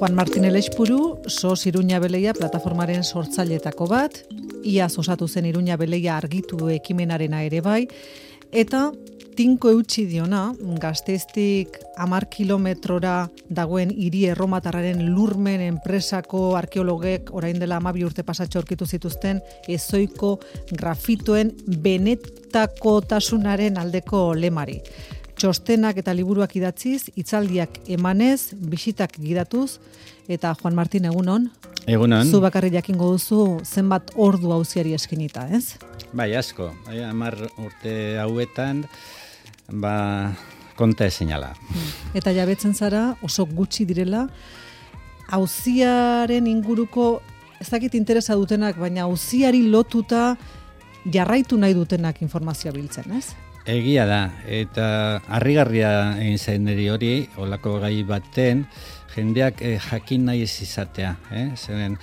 Juan Martin Elexpuru, SOS Iruña Beleia plataformaren sortzaileetako bat, iaz osatu zen Iruña Beleia argitu ekimenarena ere bai, eta tinko eutxi diona, Gasteiztik 10 kilometrora dagoen hiri erromatarraren lurmen enpresako arkeologek orain dela 12 urte pasatxo aurkitu zituzten ezoiko grafitoen benetakotasunaren aldeko lemari. Txostenak eta liburuak idatziz, hitzaldiak emanez, bisitak gidatuz, eta Juan Martin, egunon? Egunon. Zu bakarri jakingo duzu zenbat ordu auziari eskinita, ez? Bai, asko. 10 urte hauetan, konta ezinala. Eta jabetzen zara, oso gutxi direla, auziaren inguruko, ez dakit interesa dutenak, baina auziari lotuta jarraitu nahi dutenak informazioa biltzen, ez? Egia da, eta harrigarria egin zen niri hori, olako gai baten, jendeak jakin nahi ez izatea. Zeren,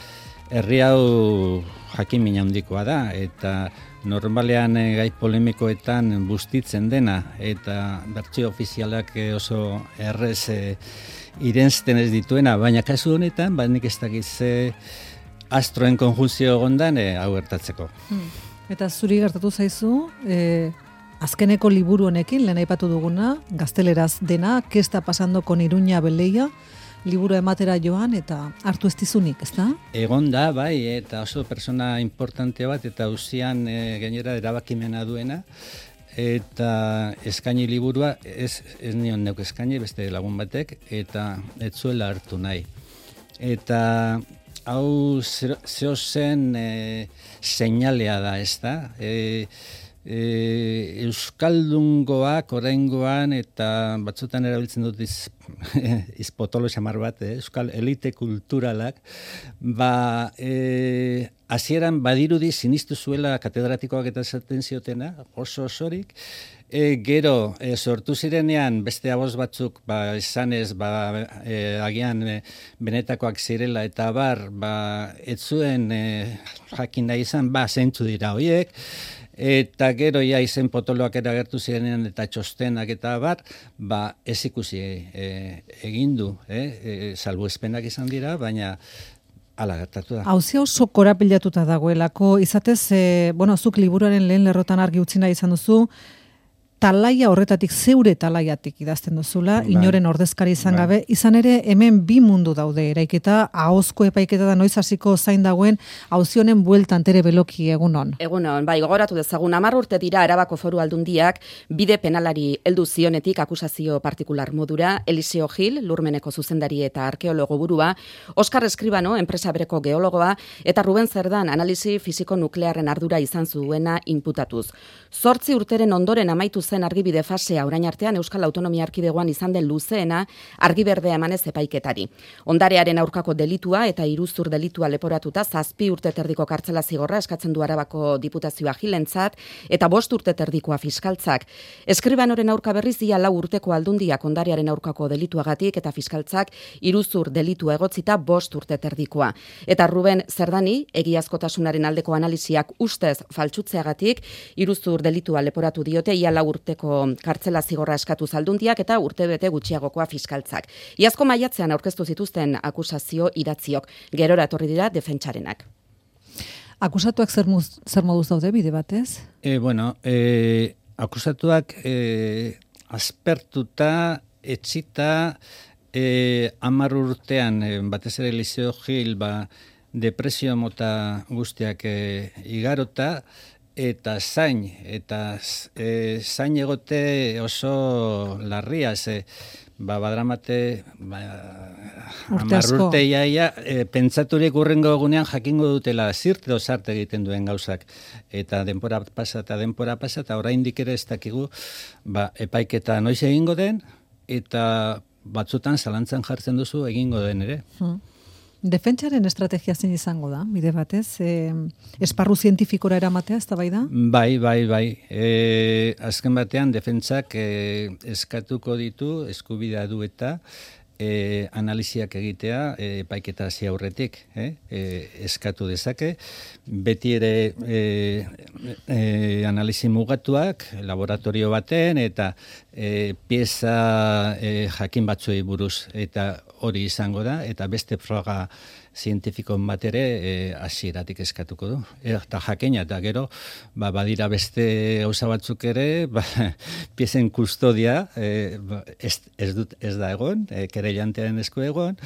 herri hau jakin mina handikoa da, eta normalean gai polemikoetan bustitzen dena, eta bertsio ofizialak oso errez irensten ez dituena, baina kasu honetan, nik ez dakiz astroen konjunzio gondan hau gertatzeko. Eta zuri gertatu zaizu, azkeneko liburu honekin, lehen aipatu duguna, gazteleraz dena, ¿Qué está pasando con Iruña Beleia? Liburu ematera joan eta hartu ez dizunik, ez da? Egon da, bai, eta oso persona importante bat, eta auzian gainera erabakimena duena, eta eskaini liburua, ez nion neuk eskaini, beste lagun batek, eta ez zuela hartu nahi. Eta hau zeo zen seinalea da, ez da? Euskaldungoak oraingoan eta batzutan erabiltzen dut izpotolo xamar bat, euskal elite kulturalak, hasieran badirudi sinistu zuela katedratikoak eta esaten ziotena, oso osorik, gero sortu zirenean beste aboz batzuk esanez agian benetakoak zirela eta ez zuen jakin nahi izan, zeintzu dira horiek, eta gero izen potoloak eragertu zirenean eta txostenak eta ez ikusi egin du, salbuespenak izan dira, baina hala gertatu da. Auzia oso korapilatuta dagoelako, izatez, zuk liburuaren lehen lerrotan argi utzi nahi izan duzu, talaia horretatik, zeure talaiatik idazten duzula, inoren ordezkari izan gabe, izan ere hemen bi mundu daude eraiketa, ahozko epaiketa da noiz hasiko zain dagoen, auzionen bueltan tere beloki egunon. Egunon, bai, gogoratu dezagun, 10 urte dira Arabako Foru Aldundiak bide penalari heldu zionetik akusazio partikular modura, Eliseo Gil, lurmeneko zuzendari eta arkeologo burua, Oskar Eskribano, enpresa bereko geologoa, eta Ruben Zerdan, analisi fisiko nuklearren ardura izan zuena inputatuz. 8 urteren ondoren amaitu zen argibide fasea orain artean Euskal Autonomia Erkidegoan izan den luzeena argiberdea emanez epaiketari. Ondarearen aurkako delitua eta iruzur delitua leporatuta 7 urte terdiko kartzela zigorra eskatzen du Arabako Diputazioa Gilentzat eta 5 urte terdikoa fiskaltzak. Eskribanoren aurka berriz ia 4 urteko aldundiak ondarearen aurkako delituagatik eta fiskaltzak iruzur delitua egotzita 5 urte terdikoa. Eta Ruben Zerdani, egiazkotasunaren aldeko analisiak ustez faltsutzeagatik iruzur delitua leporatu diote ia 4 urteko kartzela zigorra eskatu zaldundiak eta urtebete gutxiagokoa fiskaltzak. Iazko maiatzean aurkeztu zituzten akusazio idatziok, gerora etorri dira defentsarenak. Akusatuak zer moduz daude bide batez? Akusatuak aspertuta, etxita, 10 urtean, batez ere Eliseo Gil, depresio mota guztiak igarota, eta zain egote oso larria, badramate 10 urte iaia, pentsaturik urrengo egunean jakingo dutela zirt edo zart egiten duen gauzak, eta denpora pasa, eta oraindik ere ez dakigu epaiketa noiz egingo den, eta batzutan zalantzan jartzen duzu egingo den ere. Defentsaren estrategia zein izango da, bide batez? Esparru zientifikora eramatea, ez da bai da? Bai. Azken batean, defentsak eskatuko ditu, eskubidea du eta analiziak egitea epaiketa hasi aurretik, eskatu dezake, beti ere analizi mugatuak laboratorio baten eta pieza jakin batzuei buruz, eta hori izango da, eta beste froga zientifikon bat ere hasieratik eskatuko du. Eta jakina, eta gero badira beste gauza batzuk ere, piezen kustodia ez da egon, kereilantearen esku egon,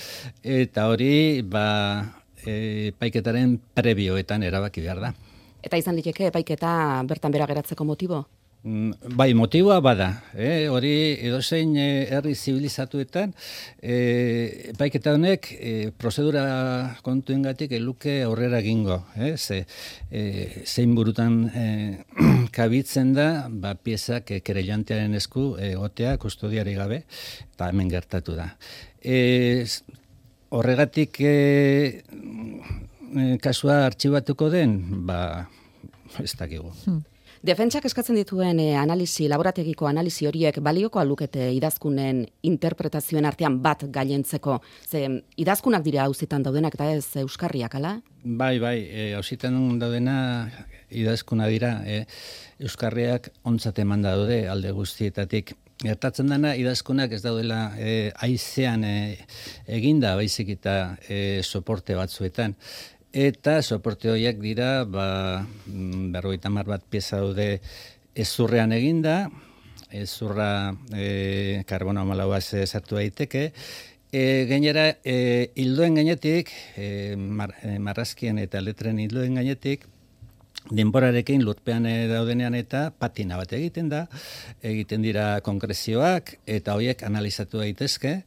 eta hori epaiketaren prebioetan erabaki behar da. Eta izan liteke epaiketa bertan bera geratzeko motibo? Bai, motiboa bada, hori edozein herri zibilizatuetan epaiketa honek prozedura kontuengatik eluke aurrera egingo, zein burutan kabitzen da piezak kereilantearen esku egotea kustodiari gabe, eta hemen gertatu da. Horregatik kasua artxibatuko den, ez dakigu. Defentsak eskatzen dituen laborategiko analizi horiek balioko alukete idazkunen interpretazioen artean bat gailentzeko. Ze idazkunak dira auzitan daudenak eta ez euskarriak, ala? Bai, auzitan daudena idazkuna dira. Euskarriak ontzat eman daude alde guztietatik. Gertatzen dena idazkunak ez daudela haizean eginda, baizik eta soporte batzuetan. Eta soporte horiek dira, 50 bat pieza daude ezurrean eginda, ezurra karbono 14 sartu daiteke, gainera hildoen gainetik, marrazkien eta letren hildoen gainetik, denborarekin lurpean daudenean eta patina bat egiten dira konkrezioak, eta horiek analizatu daitezke,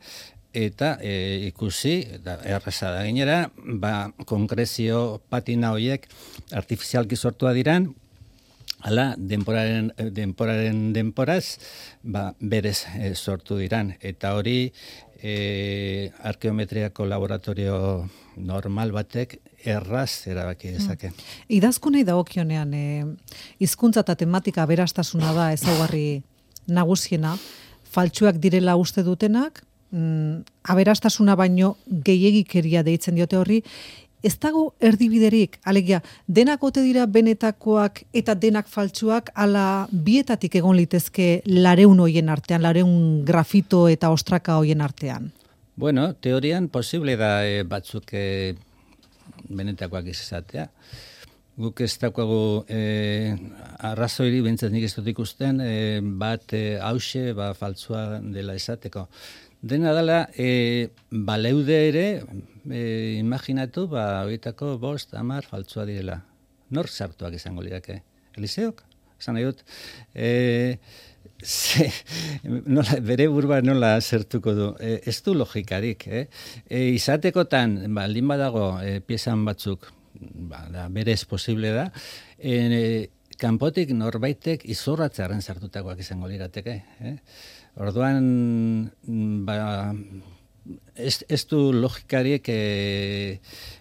eta ikusi, erraza da gainera, konkrezio patina horiek artifizialki sortua diran, hala, denporaz, berez sortu diran. Eta hori, arkeometriako laboratorio normal batek erraz erabaki dezake. Idazkunei dagokionean, hizkuntza eta tematika aberastasuna da ezaugarri nagusiena, faltsuak direla uste dutenak, aberastasuna baino gehiegikeria deitzen diote horri, ez dago erdibiderik, alegia, denak ote dira benetakoak eta denak faltsuak, ala bietatik egon litezke 200 hoien artean, 200 grafito eta ostraka hoien artean? Bueno, teorian posible da batzuk benetakoak izatea. Guk ez daukagu arrazoiri, bintzat nik ez dut ikusten, bat hause faltsua dela esateko. Dena dela, baleude ere, imaginatu, horietako 5, 10 faltsua direla. Nor sartuak izango lirateke? Eliseok? Esan nahi dut, bere burua nola zertuko du. Ez du logikarik. Izatekotan, baldin badago piezan batzuk, berez posible da, kanpotik norbaitek izorratzearen sartutakoak izango lirateke. Orduan, ez du logikariek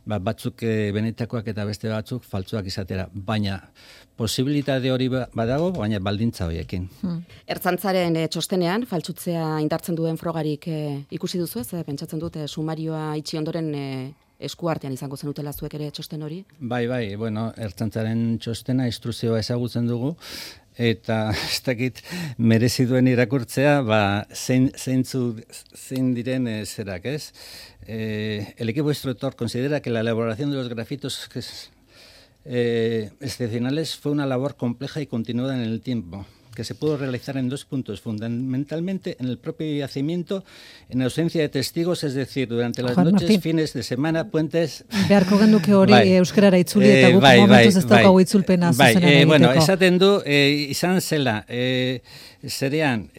batzuk benetakoak eta beste batzuk faltsuak izatera, baina posibilitate hori badago, baina baldintza horiekin. Ertzaintzaren txostenean, faltsutzea indartzen duen frogarik ikusi duzu ez? Pentsatzen dute sumarioa itxi ondoren eskuartean izango zenutela zuek ere txosten hori? Bai, Ertzaintzaren txostena instrukzioa ezagutzen dugu, eta ez dakit merezi duen irakurtzea, zein diren zerak, ez? El equipo instructor considera que la elaboración de los grafitos excepcionales fue una labor compleja y continuada en el tiempo, que se pudo realizar en 2 puntos, fundamentalmente en el propio yacimiento, en ausencia de testigos, es decir, durante las noches, Martín, fines de semana, puentes... Beharko genuke hori euskarara itzuli eta guk momentuz ez daukagu itzulpena zuzenean egiteko. Bueno, esaten du, izan zela, zerean,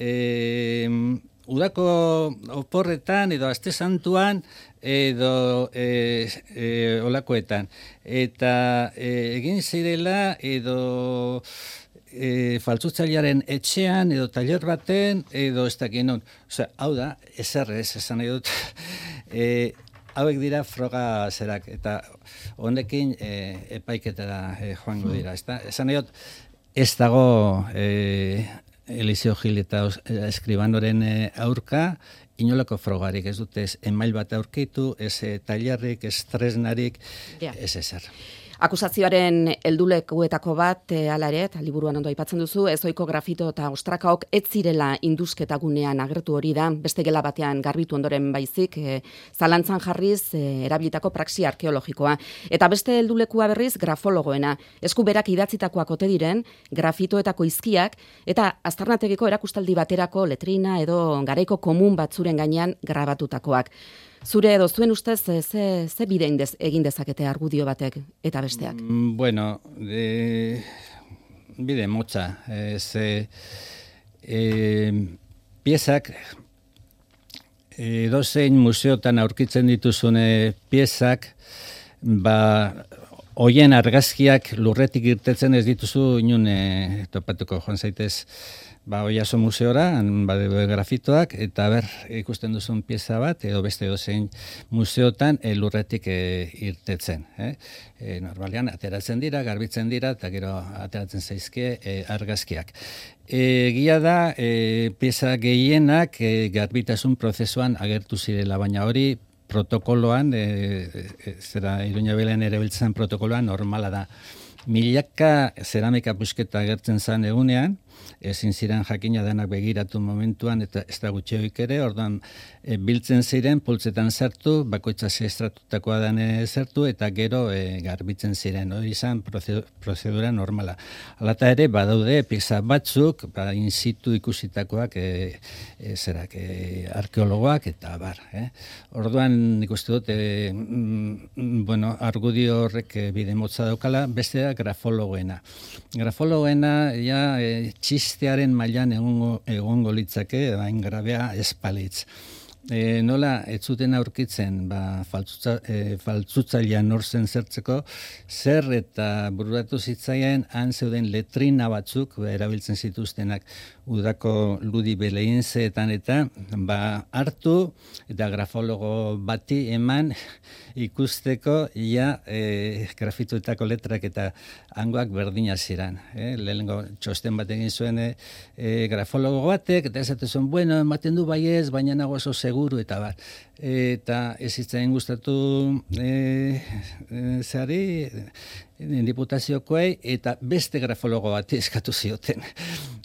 udako oporretan edo aste santuan edo olakoetan. Eta egin zirela edo... faltsutzailearen etxean edo tailer baten edo ez dakit non. Hau da, esan nahi dut, hauek dira froga zerak, eta honekin epaiketara joango dira. Esan nahi dut, ez dago Eliseo Gil eta Eskribanoren aurka, inolako frogarik ez dute, ez email bat aurkitu, ez tailerrik, ez tresnarik, ez ezer. Akusazioaren heldulekuetako bat, hala ere, eta liburuan ondo aipatzen duzu, ezoiko grafito eta ostrakaok ez zirela indusketa gunean agertu hori da, beste gela batean garbitu ondoren baizik, zalantzan jarriz erabilitako praxi arkeologikoa. Eta beste heldulekua berriz grafologoena, esku berak idatzitakoak ote diren, grafitoetako izkiak, eta aztarnategiko erakustaldi baterako letrina edo garaiko komun batzuren gainean grabatutakoak. Zure edo zuen ustez, ze bide egin dezakete argudio batek eta besteak? Bueno, bide motza. Piezak, edozein museotan aurkitzen dituzune piezak, hoien argazkiak lurretik irtetzen ez dituzu inun topatuko joan zaitez Oiaso museora, grafitoak, eta ikusten duzun pieza bat, edo beste edozein museotan lurretik irtetzen. Normalean, ateratzen dira, garbitzen dira, eta gero ateratzen zaizkie argazkiak. Egia da, pieza gehienak garbitasun prozesuan agertu zirela, baina hori protokoloan, Iruña Belean erabiltzen protokoloan normala da. Milaka zeramika pusketa agertzen zen egunean, ezin ziren jakina denak begiratu momentuan, eta ez da gutxeoik ere, orduan biltzen ziren, pultzetan zertu, bakoitza estratutakoa den zertu, eta gero garbitzen ziren, hori izan prozedura normala. Alata ere, badaude, pieza batzuk, in situ ikusitakoak, arkeologoak, eta bar. Orduan, nik uste dut, argudio horrek bide motza daukala, bestea grafologoena. Grafologoena, txistearen mailan egongo litzake, hain grabea espalitz. Nola, ez zuten aurkitzen, faltzutzailean norzen zertzeko, zer eta bururatu zitzaien han zeuden letrina batzuk, erabiltzen zituztenak udako ludi beleinzeetan eta hartu eta grafologo bati eman ikusteko grafituetako letrak eta hangoak berdina ziren. Lehenengo txosten bat egin zuen grafologo batek, eta esaten zuen, bueno, ematen du baiez, baina nago oso seguru, eta bar. Eta ez hitzain gustatu diputaziokoei, eta beste grafologo bat eskatu zioten.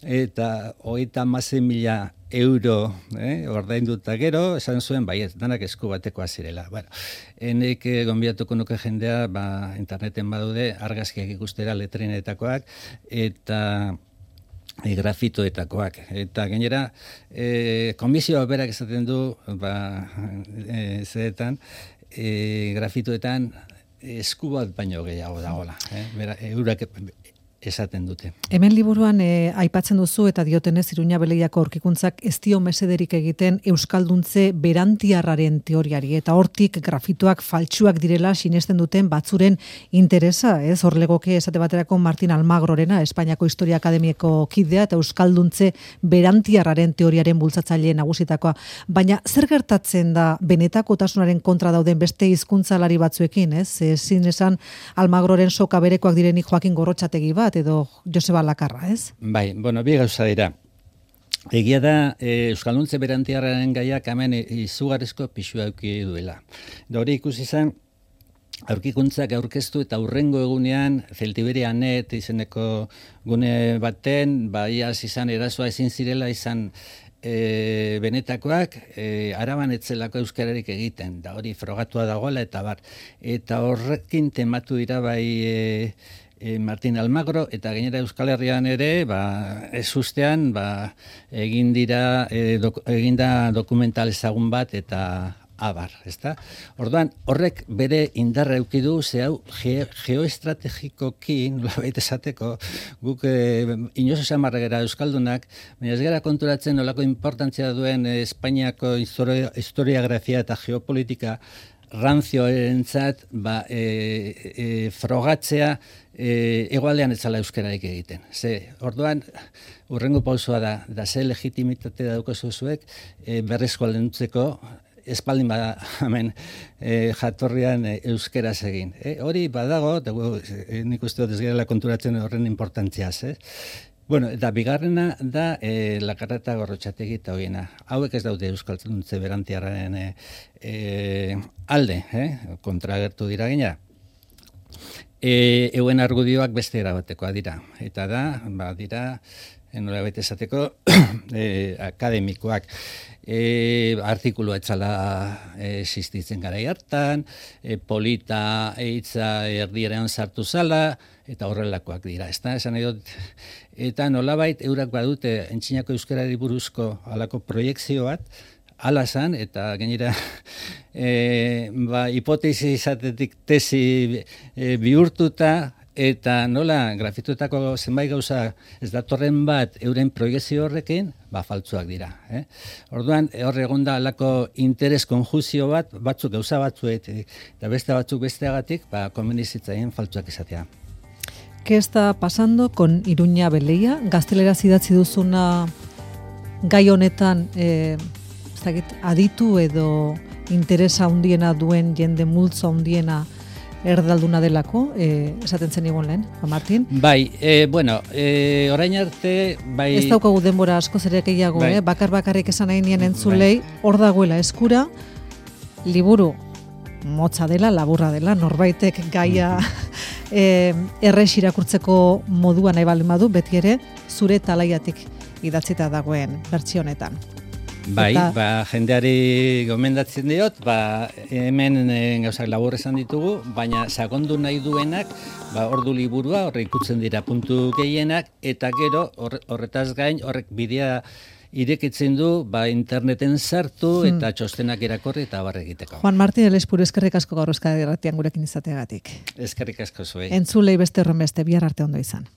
Eta 36.000 euro ordainduta gero, esan zuen, baiet, danak esku batekoa zirela. Enek gonbidatuko nuke jendea, interneten badude, argazkiak ikustera letrinetakoak, eta grafitoetakoak. Eta gainera, komisioa berak esaten du, zeetan, grafitoetan esku bat baino gehiago dagoela. Eurak esaten dute. Hemen liburuan aipatzen duzu eta diotenez Iruña Beleiako aurkikuntzak ez dio mesederik egiten euskalduntze berantiarraren teoriari eta hortik grafitoak faltsuak direla sinesten duten batzuren interesa, ez? Horlegoke esate baterako Martin Almagrorena, Espainiako Historia Akademiako kidea eta euskalduntze berantiarraren teoriaren bultzatzaile nagusitakoa. Baina zer gertatzen da benetakotasunaren kontra dauden beste hizkuntzalari batzuekin, ez? Ezin esan Almagroren soka berekoak direnik Joakin Gorrotxategi bat edo Joseba Lakarra, ez? Bai, bi gauza dira. Egia da, euskalduntze berantiarraren gaiak hemen izugarrizko pixua eduki duela. Hori ikusi zen, aurkikuntzak aurkeztu eta hurrengo egunean Celtiberia.net izeneko gune baten, iaz izan erasoa ezin zirela izan benetakoak, Araban etzelako euskararik egiten, da hori frogatua dagoela eta bar. Eta horrekin tematu dira Martin Almagro, eta gainera Euskal Herrian ere, ez ustean, eginda dokumental ezagun bat, eta abar, ezta? Orduan, horrek bere indarra eduki du, hau geoestrategikoki, nolabait esateko, guk inozo samarregera euskaldunak, baina ez gara konturatzen nolako importantzia duen Espainiako historiografia eta geopolitika ranzioentzat frogatzea egoaldean etzala euskararik egiten. Orduan, hurrengo pausoa da ze legitimitate daukazu zuek berreskualdentzeko espaldin bada hemen jatorrian euskeraz egin. Hori badago, nik uste dut ez gerela konturatzen horren importantziaz. Bueno, eta bigarrena da Lakarreta Gorrotxategi eta hoiena. Hauek ez daude Euskaltzuntze Berantiarraren alde, kontragertu dira gina. Euen argudioak beste erabatekoa dira. Eta da, dira, nola baita esateko, akademikoak. Artikulua etzala existitzen garai hartan, polita eitza erdieran sartu zala, eta horrelakoak dira, ezta? Esan nahi dut, eta nolabait eurak badute entzinako euskarari buruzko halako proiekzio bat, hala zan, eta gainera hipotesi izatetik tesi bihurtuta, eta nola grafitutako zenbait gauza ez datorren bat euren proiekzio horrekin, faltsuak dira. Orduan, hor egon da alako interes konjuzio bat, batzuk gauza batzuet, eta beste batzuk besteagatik, konbenizitzaien faltsuak izatea. ¿Qué está pasando con Iruña Beleia? Gazteleraz idatzi duzuna gai honetan aditu edo interesa handiena duen jende multzo handiena erdalduna delako, esaten zen igon lehen, Juan Martin? Bai, orain arte, bai... Ez daukagu denbora askoz ere gehiago, bakar-bakarrik esan nahi nien entzulei, hor dagoela eskura, liburu motza dela, laburra dela, norbaitek gaia errex irakurtzeko modua nahi baldin badu, beti ere zure talaiatik idatzita dagoen bertsio honetan. Bai, jendeari gomendatzen diot, hemen gauzak labur esan ditugu, baina sakondu nahi duenak, ordu liburua, horre ikutzen dira puntu gehienak, eta gero horretaz gain, horrek bidea irekitzen du, interneten sartu eta txostenak irakorri eta barre egiteko. Juan Martin Elespuru, eskerrik asko gaur Euskadi Irratian gurekin izateagatik. Eskerrik asko zuei. Entzulei beste horren beste, bihar arte ondo izan.